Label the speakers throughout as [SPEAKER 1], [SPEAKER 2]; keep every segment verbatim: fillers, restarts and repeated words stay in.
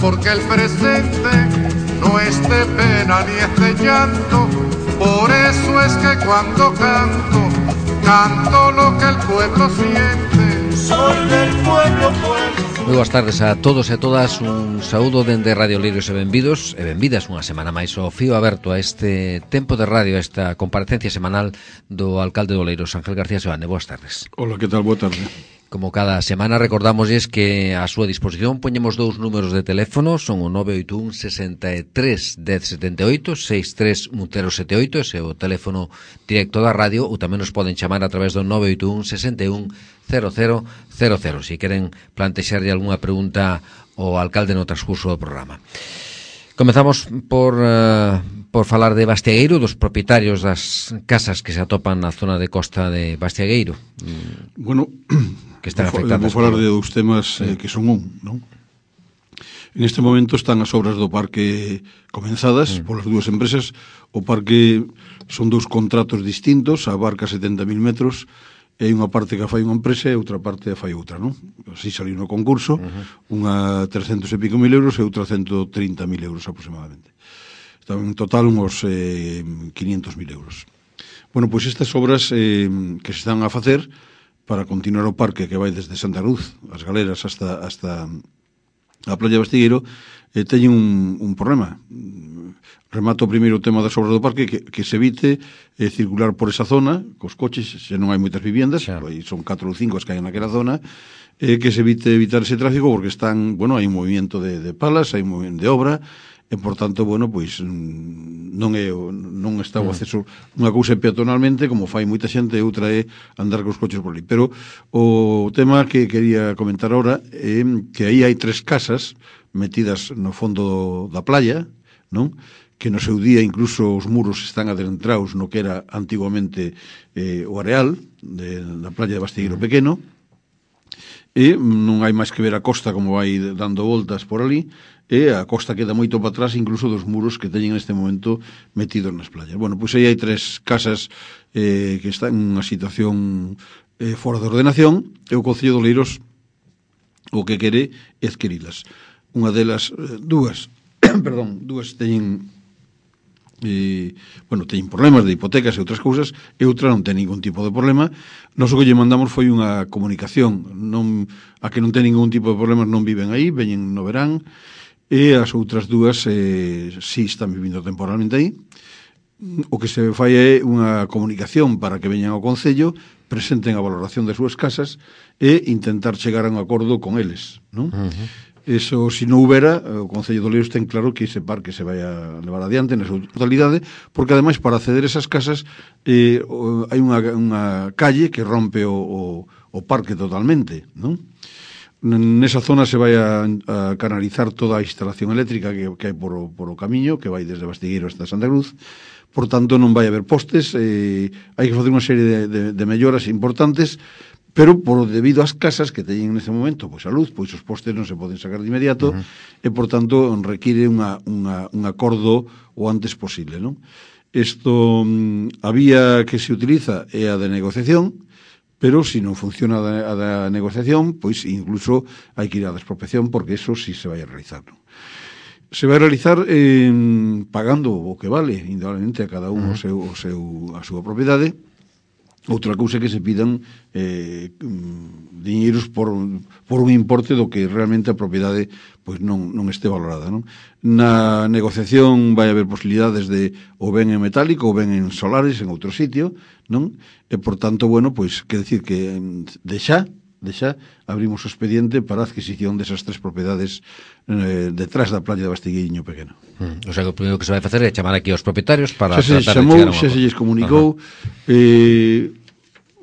[SPEAKER 1] porque el presente no es de pena ni es de llanto. Por eso es que cuando canto, canto lo que el pueblo siente. Soy del pueblo, pueblo.
[SPEAKER 2] Moi boas tardes a todos e a todas. Un saúdo dende Radio Oleiros e benvidos e benvidas unha semana máis ao fío aberto a este tempo de radio, a esta comparecencia semanal do alcalde de Oleiros, Ángel García Seoane. Boas tardes.
[SPEAKER 3] Hola, que tal? Boa tarde.
[SPEAKER 2] Como cada semana recordamosles que a súa disposición poñemos dous números de teléfono, son o nove oito un, sesenta e tres, dez setenta e oito, sesenta e tres, cero sete oito, ese é o teléfono directo da radio, ou tamén nos poden chamar a través do nove oito un, sesenta e un, cero cero cero cero, se queren plantexarlle algunha pregunta ao alcalde no transcurso do programa. Comezamos por, uh, por falar de Bastiagueiro, dos propietarios das casas que se atopan na zona de costa de Bastiagueiro.
[SPEAKER 3] Bueno,
[SPEAKER 2] que están
[SPEAKER 3] vou,
[SPEAKER 2] afectadas.
[SPEAKER 3] vou falar de dous temas eh, que son un, non? En este momento están as obras do parque comenzadas mm. polas dúas empresas. O parque son dous contratos distintos, abarca setenta mil metros, e unha parte que fai unha empresa e outra parte que fai outra, non? Así saliu no concurso, uh-huh. unha trescentos e pico mil euros e outra ciento trinta mil euros aproximadamente. Están en total uns eh, quinientos mil euros. Bueno, pois estas obras eh, que se están a facer para continuar o parque que vai desde Santa Cruz, as Galeras, hasta, hasta a Playa de Bastiagueiro, eh, teñen un, un problema. Remato primeiro o tema das obras do parque, que, que se evite eh, circular por esa zona cos coches, se non hai moitas viviendas, claro. Son catro ou cinco as que hai naquela zona, eh, que se evite evitar ese tráfico porque están, bueno, hai un movimento de, de palas, hai un movimento de obra, e por tanto, bueno, pois non é non está o acceso, unha cousa é peatonalmente, como fai moita xente, e outra é andar cos coches por ali. Pero o tema que quería comentar ahora é que aí hai tres casas metidas no fondo da playa, non? Que no seu día incluso os muros están adentrados no que era antiguamente eh, o areal de, da playa de Bastiagueiro Pequeno, e non hai máis que ver a costa como vai dando voltas por ali, e a costa queda moito para atrás incluso dos muros que teñen neste momento metidos nas playas. Bueno, pois aí hai tres casas eh, que están en unha situación eh, fora de ordenación, e o Concello de Oleiros o que quere é adquirilas. Unha delas, eh, dúas, perdón, dúas teñen E, bueno, teñen problemas de hipotecas e outras cousas, e outra non ten ningún tipo de problema. Nós o que lle mandamos foi unha comunicación, non, a que non ten ningún tipo de problemas non viven aí, veñen no verán, e as outras dúas eh, si están vivindo temporalmente aí. O que se fai é unha comunicación para que veñan ao Concello, presenten a valoración das súas casas e intentar chegar a un acordo con eles, non? Uh-huh. Eso, se non houbera, o Concello de Oleiros ten claro que ese parque se vai a levar adiante na súa totalidade, porque ademais para acceder a esas casas eh, hai unha, unha calle que rompe o, o, o parque totalmente, non? Nesa zona se vai a, a canalizar toda a instalación eléctrica que, que hai por o, por o camiño, que vai desde Bastiagueiro hasta Santa Cruz. Por tanto, non vai haber postes, eh, hai que facer unha serie de, de, de melloras importantes, pero por debido ás casas que teñen nese momento, pois a luz, pois os postes non se poden sacar de inmediato, uh-huh. e por tanto require unha, unha, un acordo o antes posible, non? Isto, a vía que se utiliza é a de negociación, pero se non funciona a da negociación, pois incluso hai que ir á despropiación, porque eso sí se vai a realizar, non? Se vai a realizar eh, pagando o que vale, indudablemente a cada un uh-huh. o seu, o seu, a súa propiedade. Outra cousa que se pidan eh, diñeiros por, por un importe do que realmente a propiedade pois non, non este valorada, non? Na negociación vai haber posibilidades de o ben en metálico ou ben en solares en outro sitio, non? E por tanto, bueno, pois que decir que de xa, de xa abrimos o expediente para a adquisición desas tres propiedades eh, detrás da playa de Bastiagueiro Pequeno.
[SPEAKER 2] Hmm. O sea, que o primeiro que se vai facer é chamar aquí aos propietarios para
[SPEAKER 3] xa se
[SPEAKER 2] tratar
[SPEAKER 3] chamou,
[SPEAKER 2] de chegar a un
[SPEAKER 3] xa se lles comunicou, eh,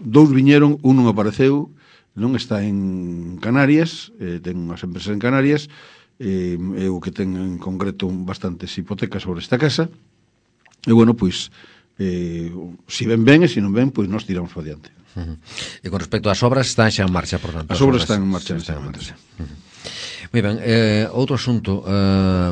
[SPEAKER 3] dous viñeron, un non apareceu, non está en Canarias, eh, ten unhas empresas en Canarias, eh, eu que ten en concreto bastantes hipotecas sobre esta casa, e bueno, pois eh, si ven ben e se non ven, pois nós tiramos para diante.
[SPEAKER 2] Uh-huh. E con respecto ás obras, están xa en marcha, por tanto.
[SPEAKER 3] As obras están en marcha. Están en marcha.
[SPEAKER 2] Uh-huh. Moi ben, eh, outro asunto, eh,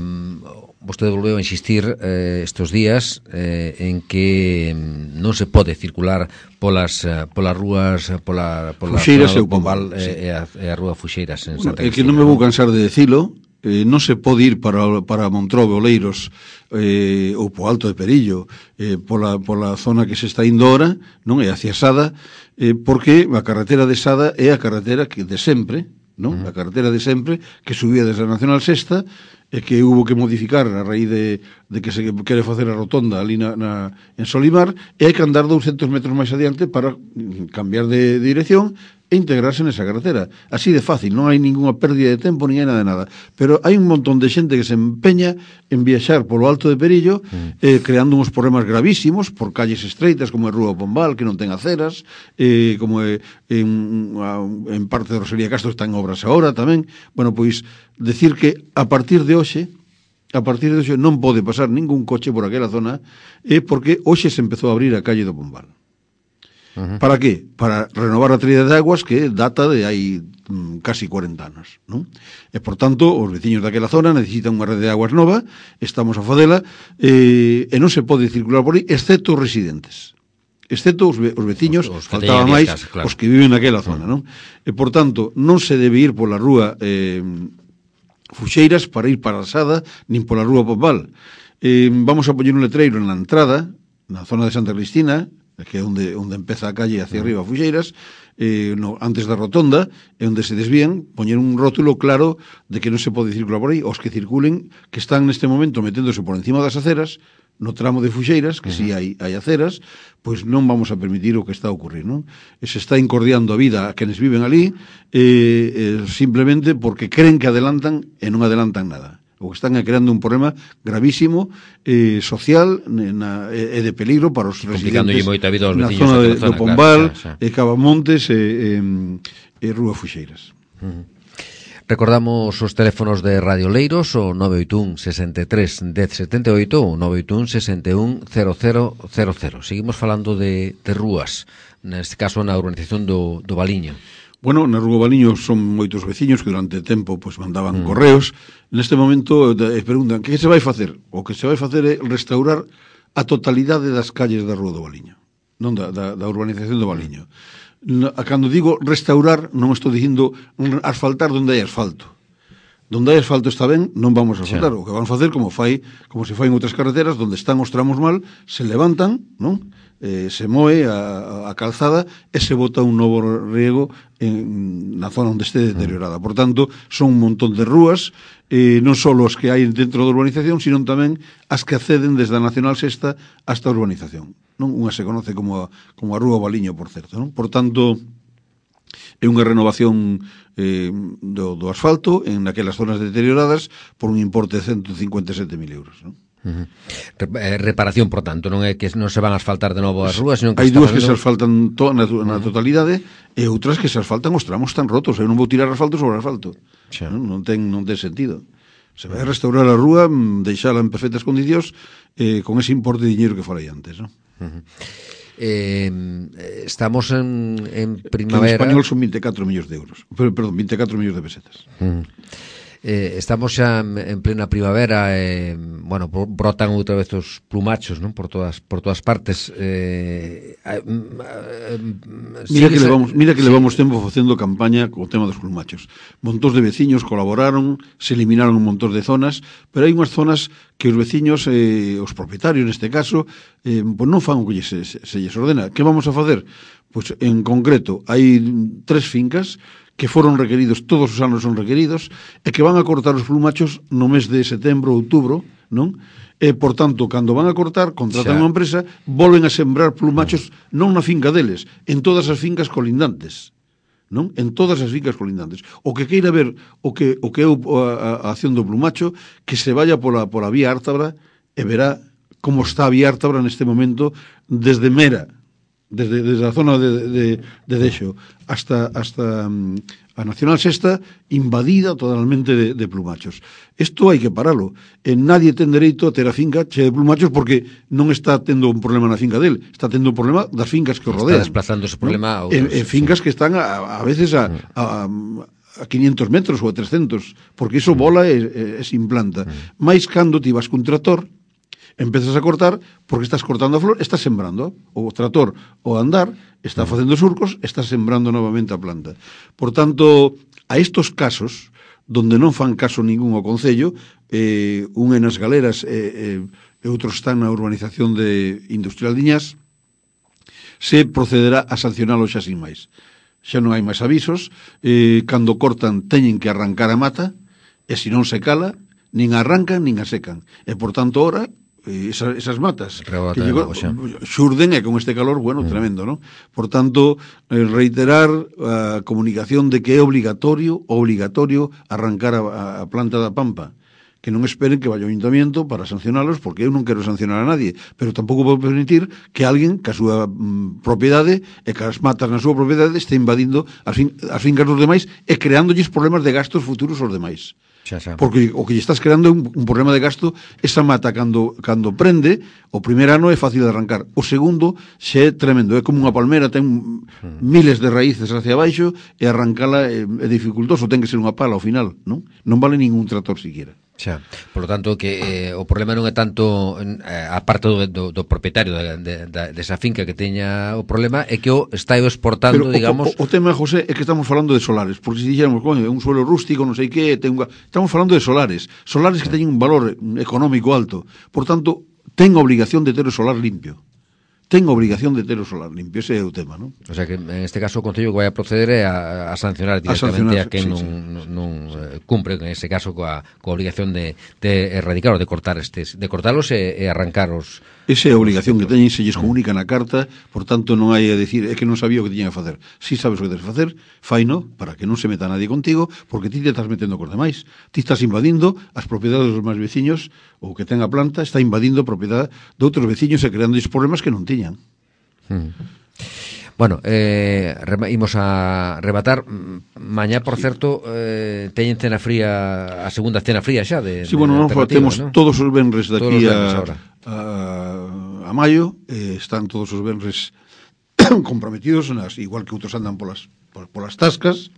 [SPEAKER 2] vostede volveu a insistir eh, estes días eh, en que non se pode circular polas eh, polas rúas, pola pola
[SPEAKER 3] Fuxeiras e o
[SPEAKER 2] Pombal e, sí. e, a, e a rúa Fuxeiras en
[SPEAKER 3] bueno,
[SPEAKER 2] Santa
[SPEAKER 3] Cristina. É que non me vou cansar de decilo, eh, non se pode ir para, para Montrobe, Oleiros, eh, ou po Alto de Perillo, eh, pola, pola zona que se está indo ora, non é hacia Sada, eh, porque a carretera de Sada é a carretera que de sempre, non? Uh-huh. A carretera de sempre, que subía desde a Nacional Sexta, e que hubo que modificar a raíz de, de que se quere facer a rotonda ali na, na, en Solimar, e hai que andar douscentos metros máis adiante para cambiar de, de dirección e integrarse nesa carretera. Así de fácil, non hai ninguna pérdida de tempo, nin hai nada de nada. Pero hai un montón de xente que se empeña en viaxar polo Alto de Perillo, mm. eh, creando uns problemas gravísimos por calles estreitas, como é Rúa Pombal, que non ten aceras, eh, como é en, en parte de Rosalía Castro está en obras agora tamén. Bueno, pois, decir que a partir de hoxe, a partir de hoxe non pode pasar ningún coche por aquela zona, eh, porque hoxe se empezou a abrir a calle do Pombal. Uh-huh. ¿Para qué? Para renovar a traída de aguas que data de hai mm, casi cuarenta anos, non? E, por tanto, os veciños daquela zona necesitan unha rede de aguas nova, estamos a fadela, eh, e non se pode circular por aí, excepto os residentes. Excepto os, ve os veciños, os, os faltaba máis casa, claro. Os que viven naquela zona, non? E, por tanto, non se debe ir pola rúa eh, Fuxeiras para ir para a Sada, nin pola rúa Pombal. Eh, vamos a poñer un letreiro na entrada, na zona de Santa Cristina, que é onde, onde empeza a calle hacia arriba a Fuxeiras, eh, no, antes da rotonda, é onde se desvían, poñer un rótulo claro de que non se pode circular por aí, os que circulen, que están neste momento meténdose por encima das aceras, no tramo de Fuxeiras, que uh-huh. si hai, hai aceras, pois non vamos a permitir o que está a ocurrir, non? E se está incordiando a vida a quenes viven ali, eh, eh, simplemente porque creen que adelantan e non adelantan nada. O que están creando un problema gravísimo eh, social na, e de peligro para os residentes
[SPEAKER 2] moito a vida aos
[SPEAKER 3] na
[SPEAKER 2] veciños
[SPEAKER 3] zona de,
[SPEAKER 2] zona,
[SPEAKER 3] do Pombal,
[SPEAKER 2] claro,
[SPEAKER 3] e Cavamontes e, e, e Rúa Fuxeiras.
[SPEAKER 2] Uh-huh. Recordamos os teléfonos de Radio Leiros, o nove oito un, sesenta e tres, dez setenta e oito, o nove oito un, sesenta e un, cero cero cero cero. Seguimos falando de, de rúas, neste caso na urbanización do, do Valiño.
[SPEAKER 3] Bueno, na Rúa Valiño son moitos veciños que durante tempo pues, mandaban mm. correos. Neste momento eh, preguntan que se vai facer? O que se vai facer é restaurar a totalidade das calles da Rúa do Valiño, non da, da, da urbanización do Valiño. Cando digo restaurar, non estou dicindo asfaltar onde hai asfalto. Donde hai asfalto está ben, non vamos a asfaltar. Sí. O que vamos a facer, como fai, como se fai en outras carreteras, donde están os tramos mal, se levantan, non? Eh, se moe a, a calzada e se bota un novo riego en, na zona onde este deteriorada. Por tanto, son un montón de rúas, eh, non só as que hai dentro da urbanización, sino tamén as que acceden desde a Nacional Sexta hasta a urbanización. Non? Unha se conoce como a, como a Rúa Valiño, por certo. Non? Por tanto, é unha renovación eh, do, do asfalto en aquelas zonas deterioradas por un importe de ciento cincuenta e sete mil euros. Non?
[SPEAKER 2] Uh-huh. Reparación, por tanto, non é que non se van a asfaltar de novo as rúas, senón que
[SPEAKER 3] hai dúas que se asfaltan to, na, na totalidade e outras que se asfaltan os tramos tan rotos. Eu non vou tirar asfalto sobre asfalto. Xa. Non, non, ten, non ten sentido. Se vai a restaurar a rúa, deixala en perfectas condicións eh, con ese importe de dinheiro que falei antes, non?
[SPEAKER 2] Uh-huh. Eh, estamos en, en primavera.
[SPEAKER 3] Que en español son vinte e catro millóns de euros. Perdón, vinte e catro millóns de pesetas.
[SPEAKER 2] Uh-huh. Eh, estamos xa en plena primavera, eh, bueno, brotan outra vez os plumachos, non? Por todas por todas partes. Eh, eh,
[SPEAKER 3] mira que levamos, mira que sí. levamos tempo facendo campaña co tema dos plumachos. Montóns de veciños colaboraron, se eliminaron un montón de zonas, pero hai unhas zonas que os veciños, eh, os propietarios neste caso, eh, pues non fan o que se, se, se lles ordena. Que vamos a facer? Pois pues, en concreto, hai tres fincas que foron requeridos, todos os anos son requeridos, e que van a cortar os plumachos no mes de setembro, outubro, non? E, por tanto, cando van a cortar, contratan xa. Unha empresa, volven a sembrar plumachos non na finca deles, en todas as fincas colindantes, non? En todas as fincas colindantes. O que queira ver o que o que é a, a acción do plumacho, que se vaya pola, pola vía Ártabra e verá como está a vía Ártabra neste momento desde Mera, Desde, desde a zona de, de, de Deixo hasta, hasta um, a Nacional Sexta invadida totalmente de, de plumachos. Isto hai que paralo. E nadie ten dereito a ter a finca che de plumachos porque non está tendo un problema na finca del, está tendo un problema das fincas que o rodean.
[SPEAKER 2] Está desplazando ese problema
[SPEAKER 3] ¿no? a outros. En, en fincas sí. que están a, a veces a, a, a quinientos metros ou a trescentos, porque iso bola e, e, e se implanta. Mm. Mais cando ti vas cun tractor, empezas a cortar, porque estás cortando a flor, estás sembrando. O trator, o andar, está facendo surcos, estás sembrando novamente a planta. Por tanto, a estos casos, donde non fan caso ningún ao Concello, eh, un é nas Galeras e, e, e outros están na urbanización de Industrial de Iñás, se procederá a sancionalo xa sin máis. Xa non hai máis avisos, eh, cando cortan teñen que arrancar a mata, e se non se cala, nin arrancan nin a secan. E, por tanto, ora, eh, esas, esas matas que llegó, xurden e con este calor, bueno, mm. tremendo, ¿no? Por tanto, eh, reiterar a comunicación de que é obligatorio, obligatorio arrancar a, a planta da Pampa, que non esperen que vaya o Ayuntamiento para sancionalos, porque eu non quero sancionar a nadie, pero tampouco vou permitir que alguén que a súa mm, propiedade e que as matas na súa propiedade este invadindo as, fin, as fincas dos demais e creándolles problemas de gastos futuros aos demais.
[SPEAKER 2] Xa, xa.
[SPEAKER 3] Porque o que lle estás creando é un, un problema de gasto. Esa mata cando, cando prende, o primer ano é fácil de arrancar, o segundo xe é tremendo, é como unha palmera, ten mm. miles de raíces hacia abaixo e arrancala é, é dificultoso, ten que ser unha pala ao final, non? Non vale ningún trator siquiera.
[SPEAKER 2] Xa, por lo tanto que eh, o problema non é tanto eh, a parte do, do, do propietario de, de, de, desa finca que teña o problema, é que o está exportando, pero, digamos...
[SPEAKER 3] O, o, o tema, José, é que estamos falando de solares, porque se dixéramos, coño, é un suelo rústico, non sei que, ten unha... estamos falando de solares, solares que teñen un valor económico alto, por tanto, ten obligación de ter o solar limpio. Ten obligación de ter o solar limpio, ese é o tema, non?
[SPEAKER 2] O sea que en este caso o Concello que vai a proceder é a, a sancionar directamente a, a quen sí, non, sí. non eh, cumpre en ese caso coa, coa obligación de, de erradicar ou de cortar estes, de cortalos e, e arrancar os...
[SPEAKER 3] Esa é a obligación que teñen, se lles comunica na carta, por tanto non hai a decir, é que non sabía o que tiñan que facer. Si sabes o que tens que facer, faino, para que non se meta nadie contigo, porque ti te estás metendo cos demais. Ti estás invadindo as propiedades dos máis veciños, ou que ten a planta, está invadindo a propiedade de outros veciños e creando problemas que non tiñan.
[SPEAKER 2] Hmm. Bueno, eh, imos a rematar. Mañá, por certo, eh, teñen cena fría, a segunda cena fría xa de,
[SPEAKER 3] sí, bueno,
[SPEAKER 2] de
[SPEAKER 3] non temos, ¿no? Todos os venres daqui a, a, a maio, eh, están todos os venres comprometidos, nas, igual que outros andan polas, polas tascas,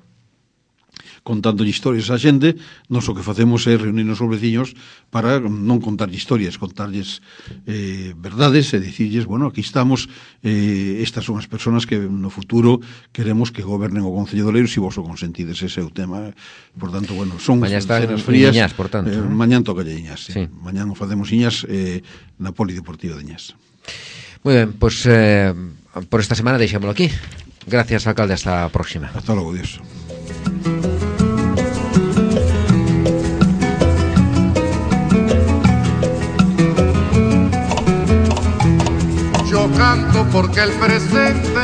[SPEAKER 3] contando historias a xente. Nos o que facemos é reunirnos os veciños para non contar historias, contarlles eh, verdades e dicirlles, bueno, aquí estamos, eh, estas son as persoas que no futuro queremos que gobernen o Concello de Oleiros e vos o consentides, ese é o tema. Por tanto, bueno, son
[SPEAKER 2] mañá
[SPEAKER 3] cenas frías.
[SPEAKER 2] Iñás, por tanto,
[SPEAKER 3] eh,
[SPEAKER 2] ¿no?
[SPEAKER 3] Mañán toca Iñás, sí.
[SPEAKER 2] Sí.
[SPEAKER 3] Mañán o facemos Iñás eh, na Polideportiva de Iñás.
[SPEAKER 2] Muy ben, pues eh, por esta semana deixámoslo aquí. Gracias, alcalde, hasta a próxima.
[SPEAKER 3] Hasta logo, Dios.
[SPEAKER 1] Yo canto porque el presente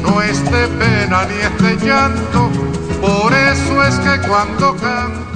[SPEAKER 1] no es de pena ni es de llanto, por eso es que cuando canto